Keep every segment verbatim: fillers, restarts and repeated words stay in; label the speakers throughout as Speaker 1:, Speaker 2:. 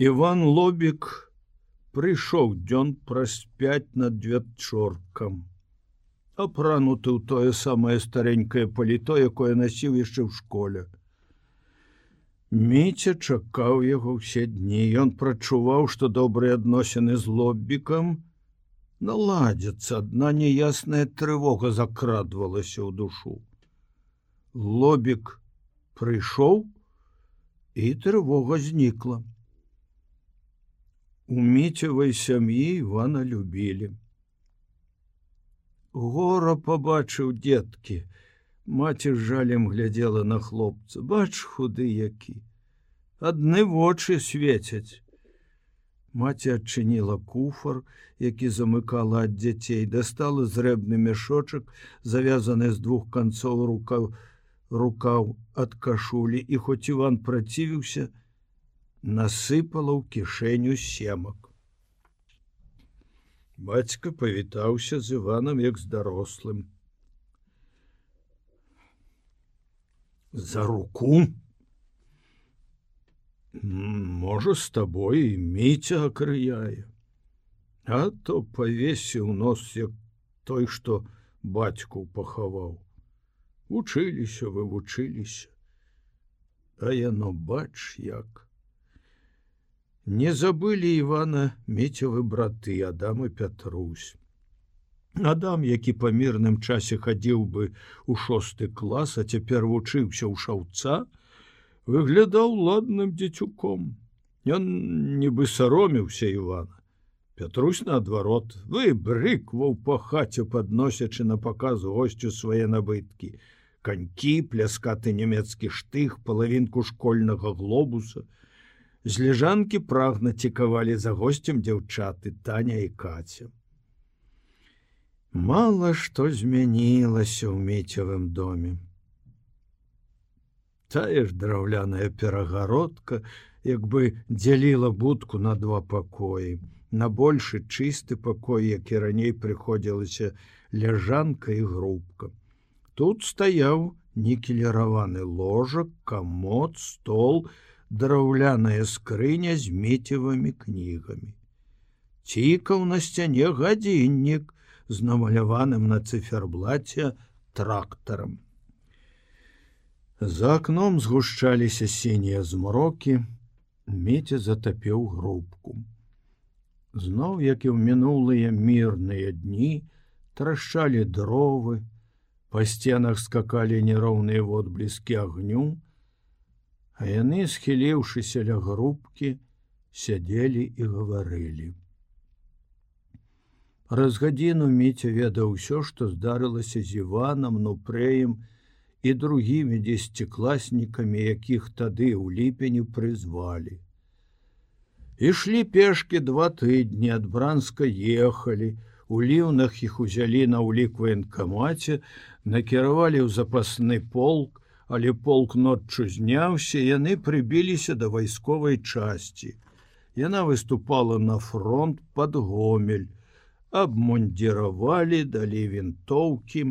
Speaker 1: Іван Лобік прыйшоў дзён праз пяць над вечоркам, апрануты ў тое самае старенькае паліто, якое насіў яшчэ ў школе. Міця чакаў яго ўсе дні. Ён прачуваў, што добрыя адносіны з Лобікам наладзяцца, адна неясная трывога закрадвалася ў душу. Лобік прыйшоў, і трывога знікла. У Міцевай сям'і Івана любілі. Гора пабачыў дзеткі. Маці з жалем глядзела на хлопца. Бач, худы які. Адны вочы свецяць. Маці адчыніла куфар, які замыкала ад дзяцей, дастала зрэбны мяшочак, завязаны з двух канцоў рукаў, рукаў ад кашулі, і хоць Іван працівіўся, насыпала ў кішэню семак. Бацька павітаўся з Іванам як з дарослым. За руку? Можа, з табой і Міця акрыяе. А то павесіў нос, як той, што бацьку пахаваў. Вучыліся вы, вучыліся. А яно бач як. Не забылі Івана Міцевы браты Адам і Пятрусь. Адам, які па мірным часе хадзіў бы ў шосты клас, а цяпер вучыўся ў шаўца, выглядаў ладным дзецюком. Ён нібы саромеўся Івана. Пятрусь, наадварот, выбрыкваў па хаце, падносячы на паказ госцю свае набыткі. Канькі, пляскаты нямецкі штых, палавінку школьнага глобуса. З лежанкі прагна цікавалі за госцем дзяўчаты Таня і Каця. Мала што змянілася ў Міцевым доме. Тая ж драўляная перагародка як бы дзяліла будку на два пакоі. На большы чысты пакой, які раней прыходзілася ляжанка і грубка. Тут стаяў нікеліраваны ложак, камод, стол, драўляная скрыня з Міцевымі кнігамі. Цікаў на сцяне гадзіннік з намаляваным на цыферблаце трактарам. За акном згушчаліся сінія змрокі, Міця затапіў грубку. Зноў, як і ў мінулыя мірныя дні, трашчалі дровы, па сценах скакалі нероўныя водбліскі агню, а яны, схіліўшыся ля грубкі, сядзелі і гаварылі. Праз гадзіну Міця ведаў усё, што здарылася з Іванам, Нупрэем і другімі дзесяцікласнікамі, якіх тады ў ліпені прызвалі. Ішлі пешкі два тыдні, ад Бранска ехалі, у ліўнах іх узялі на ўлік ваенкамаце, накіравалі ў запасны полк, але полк ноччу зняўся, яны прыбіліся да вайсковай часці. Яна выступала на фронт пад Гомель, абмундзіравалі, далі вінтоўкі.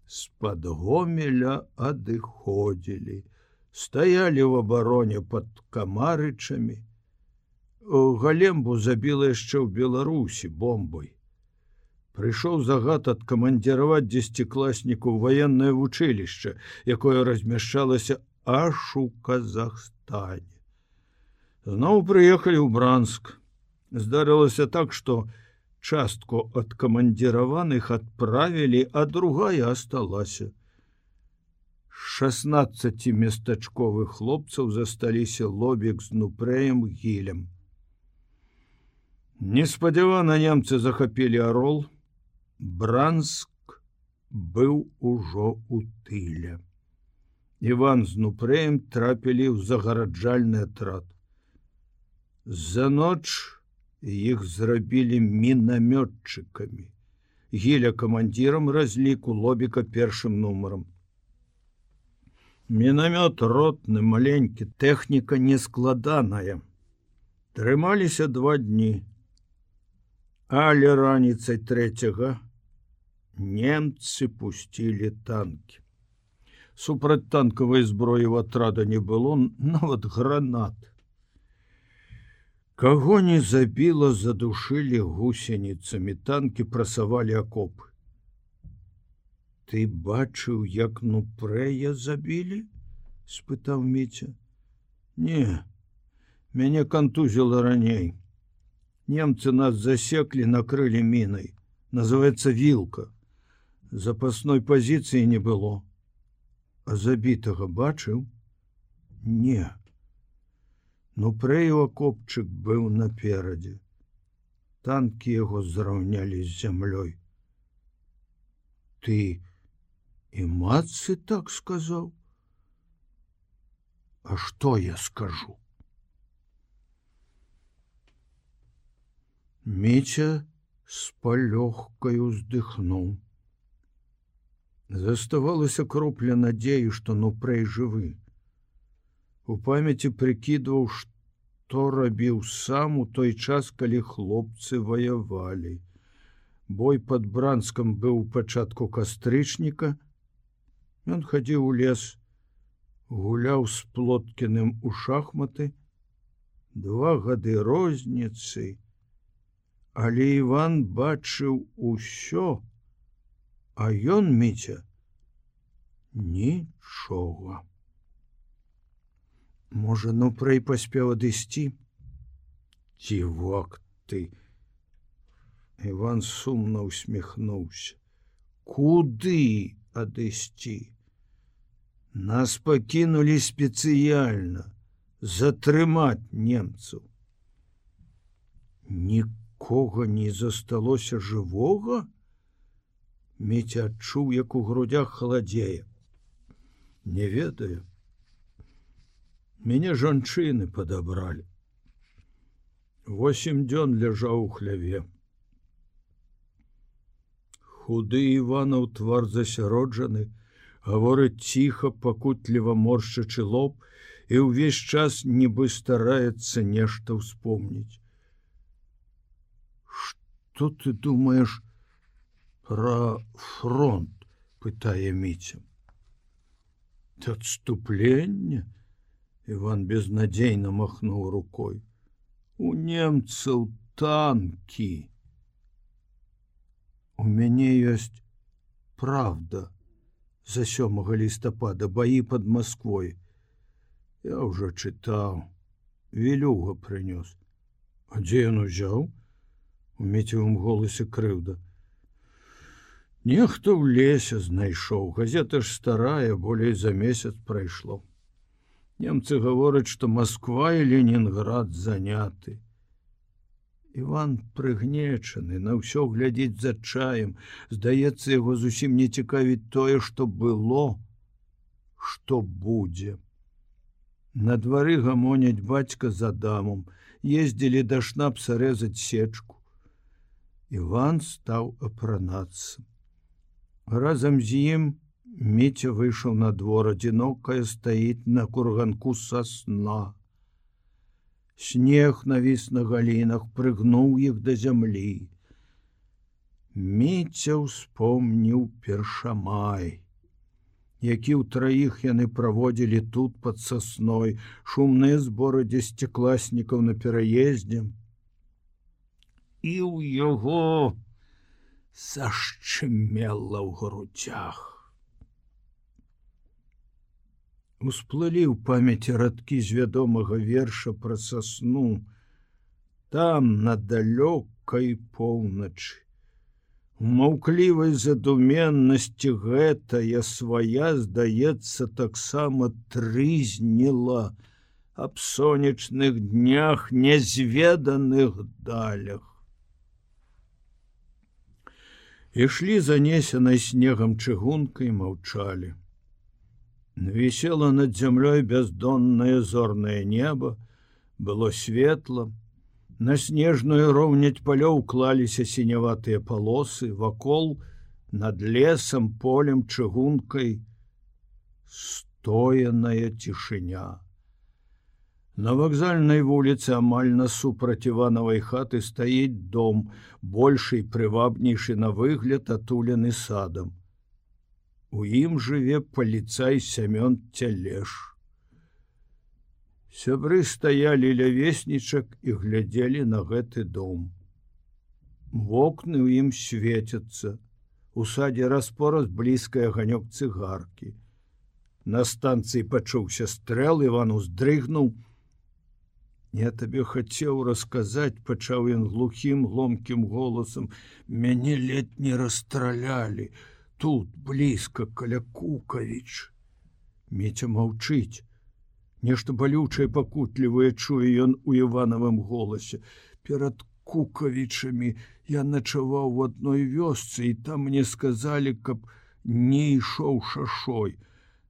Speaker 1: З-пад Гомеля адыходзілі, стаялі ў абароне пад Камарычамі. Галембу забіла яшчэ ў Беларусі бомбай. Прыйшоў загад адкамандзіраваць дзесяцікласніку ў ваеннае вучылішча, якое размяшчалася аж у Казахстане. Зноў прыехалі ў Бранск. Здарылася так, што частку адкамандзіраваных адправілі, а другая асталася. шаснаццаці местачковых хлопцаў засталіся Лобік з Нупрэем Гілем. Неспадзявана немцы захапілі Арол. Бранск быў ужо ў тыле. Іван з Нупрэем трапілі ў загараджальны атрад. За ноч іх зрабілі мінамётчыкамі. Гіля камандзірам разліку, Лобіка першым нумарам. Мінамёт ротны, маленькі, тэхніка нескладаная. Трымаліся два дні. Але раніцай трэцяга немцы пусцілі танкі. Супрацьтанкавай зброі ў атрада не было, нават гранат. Каго не забіла, задушылі гусеніцамі, танкі прасавалі акопы. Ты бачыў, як Нупрэя забілі? — спытаў Міця. Не, мяне кантузіла раней. Немцы нас засеклі, накрылі мінай. Называется вілка. Запасной пазіцыі не было. А забітага бачыў? Не. Нупрэю акопчык быў наперадзе. Танкі яго зраўнялі з зямлёй. Ты і матцы так сказаў? А што я скажу? Міця з палёгкаю уздыхнуў. Заставалася кропля надзеі, што Нупрэй жывы. У памяці прыкідваў, што рабіў сам у той час, калі хлопцы ваявалі. Бой пад Бранскам быў у пачатку кастрычніка. Ён хадзіў у лес, гуляў з Плоткіным у шахматы. Два гады розніцы, але Іван бачыў усё, а ён, Міця, нічога. Можа, Нупрэй паспеў адысці? Дзівак ты! Іван сумна усміхнуўся. Куды адысці? Нас пакінулі спецыяльна затрымаць немцаў. Нікога не засталося жывога? Міця адчуў, як у грудях халадзее. Не ведаю. Мяне жанчыны падабралі. Восем дзён ляжаў у хляве. Худы Іванаў твар засяроджаны, гаворыць ціха, пакутліва моршчачы лоб, і ўвесь час нібы стараецца нешта ўспомніць. Што ты думаеш пра фронт? — пытае Міця. Адступленне? Іван безнадзейна махнуў рукой. У немцаў танкі. У мяне ёсць правда. За сёмага лістапада баі пад Масквой. Я ўжо чытаў. Вілюга прынёс. А дзе ён узяў? У Міцевым голасе крыўда. Нехто ў лесе знайшоў. Газета ж старая, болей за месяц прайшло. Немцы гавораць, што Масква і Ленінград заняты. Іван прыгнечаны, на ўсё глядзіць з адчаем. Здаецца, яго зусім не цікавіць тое, што было, што будзе. На двары гамоняць бацька з Адамом, ездзілі да Шнапса рэзаць сечку. Іван стаў апранацца. Разам з ім Міця выйшаў на двор, адзінокая стаіць на курганку сасна. Снег навіс на галінах, прыгнуў іх да зямлі. Міця ўспомніў першамай, які ўтраіх яны праводзілі тут пад сасной, шумныя зборы дзесяцікласнікаў на пераездзе. І ў яго зашчымела ў грудзях. Усплылі ў памяці радкі з вядомага верша пра сасну. Там, на далёкай поўначы, у маўклівай задуменнасці гэтая свая, здаецца, таксама трызніла аб сонечных днях, нязведаных далях. Ішлі занесенай снегам чыгункай, маўчалі. Вісела над зямлёй бяздоннае зорнае неба, было светла, на снежную роўняць палёў клаліся сіняватыя палосы, вакол, над лесам, полем, чыгункай, стояная цішыня. На вакзальнай вуліцы амаль насупраць Іванавай хаты стаіць дом, большы і прывабнейшы на выгляд, атулены садам. У ім жыве паліцай Сямён Цялеш. Сябры стаялі ля веснічак і глядзелі на гэты дом. Вокны ў ім свецяцца. У садзе раз-пораз блізкая аганёк цыгаркі. На станцыі пачуўся стрэл, Іван уздрыгнуў. Я табе хацеў расказаць, пачаў ён глухім, гломкім голасам. Мяне ледь не расстралялі. Тут, блізка, каля Кукавіч. Міця маўчыць. Нешта балючае, пакутлівае чуе ён у Іванавым голасе. Перад Кукавічамі я начаваў у адной вёсцы, і там мне сказалі, каб не ішоў шашой.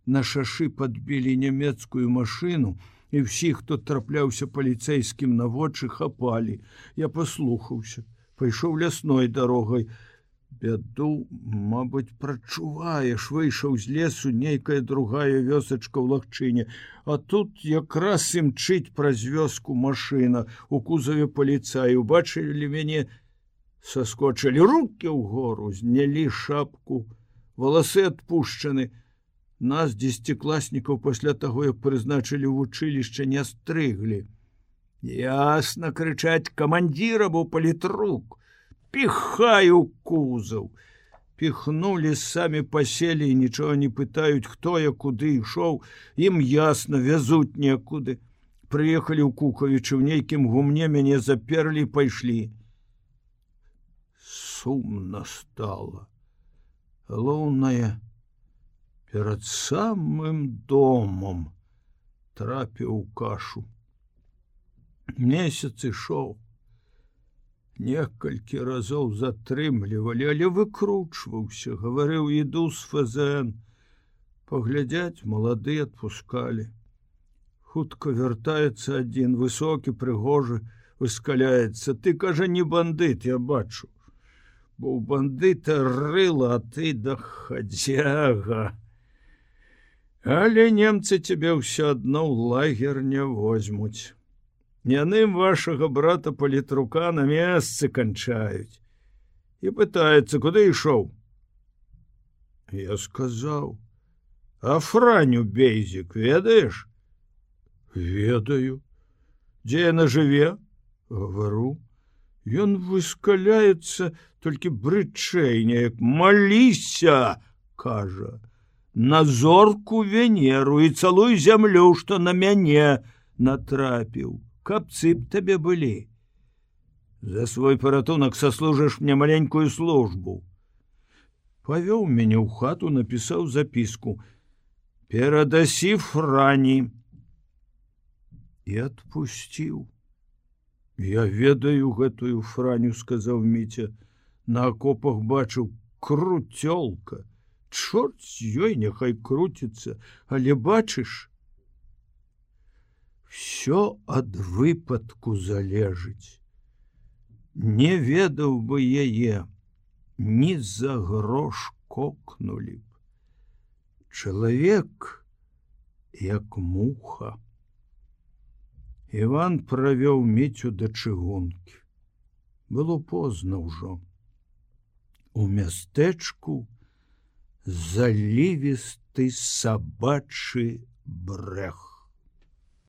Speaker 1: На шашы падбілі нямецкую машыну, і ўсіх, хто трапляўся паліцэйскім на вочы, хапалі. Я паслухаўся, пайшоў лясной дарогай. Бяду, мабыць, прачуваеш, выйшаў з лесу нейкая другая вёсачка ў лагчыне, а тут якраз імчыць праз вёску машына, у кузаве паліцаі, убачылі мяне, саскочылі рукі ўгору, знялі шапку, валасы адпушчаны. Нас, дзесяцікласнікаў, пасля таго, як прызначылі ў вучылішча, не стрыглі. Ясна, крычаць, камандзіра быў палітрук. Піхаю кузаў. Піхнулі, самі паселі і нічога не пытаюць, хто я куды ішоў. Ім ясна, вязуць некуды. Прыехалі ў Кукавічы, ў нейкім гумне мяне заперлі і пайшлі. Сумна стала. Галоўнае, перад самым домом трапіў у кашу. Месяц ішоў. Некалькі разоў затрымлівалі, але выкручваўся, гаварыў, іду з ФЗН. Паглядзяць, малады адпускалі. Хутка вяртаецца адзін, высокі, прыгожы, выскаляецца. Ты, кажа, не бандыт, я бачу. Бо ў бандыта рыла, а ты дахадзяга. Але немцы цябе ўсё адно ў лагер не возьмуць. Яны вашага брата палітрука на месцы канчаюць. І пытаецца, куды ішоў? Я сказаў, а Франю Бейзік ведаеш? Ведаю. Дзе яна жыве? Гавару. Ён выскаляецца, толькі брычэй неяк. Маліся, кажа, на зорку Венеру і цалуй зямлю, што на мяне натрапіў. Кабцы б табе былі. За свой паратунак саслужыш мне маленькую службу. Павёў мяне ў хату, напісаў запіску. Перадасі Франі. І адпусціў. Я ведаю гэтую Франю, сказаў Міця. На акопах бачыў, круцёлка. Чорт з ёй, няхай круціцца, але бачыш, всё ад выпадку залежыць. Не ведаў бы яе, ні за грош кокнулі б. Чалавек, як муха. Іван правёў Міцю да чыгункі. Было позна ўжо. У мястэчку залівісты сабачы брэх.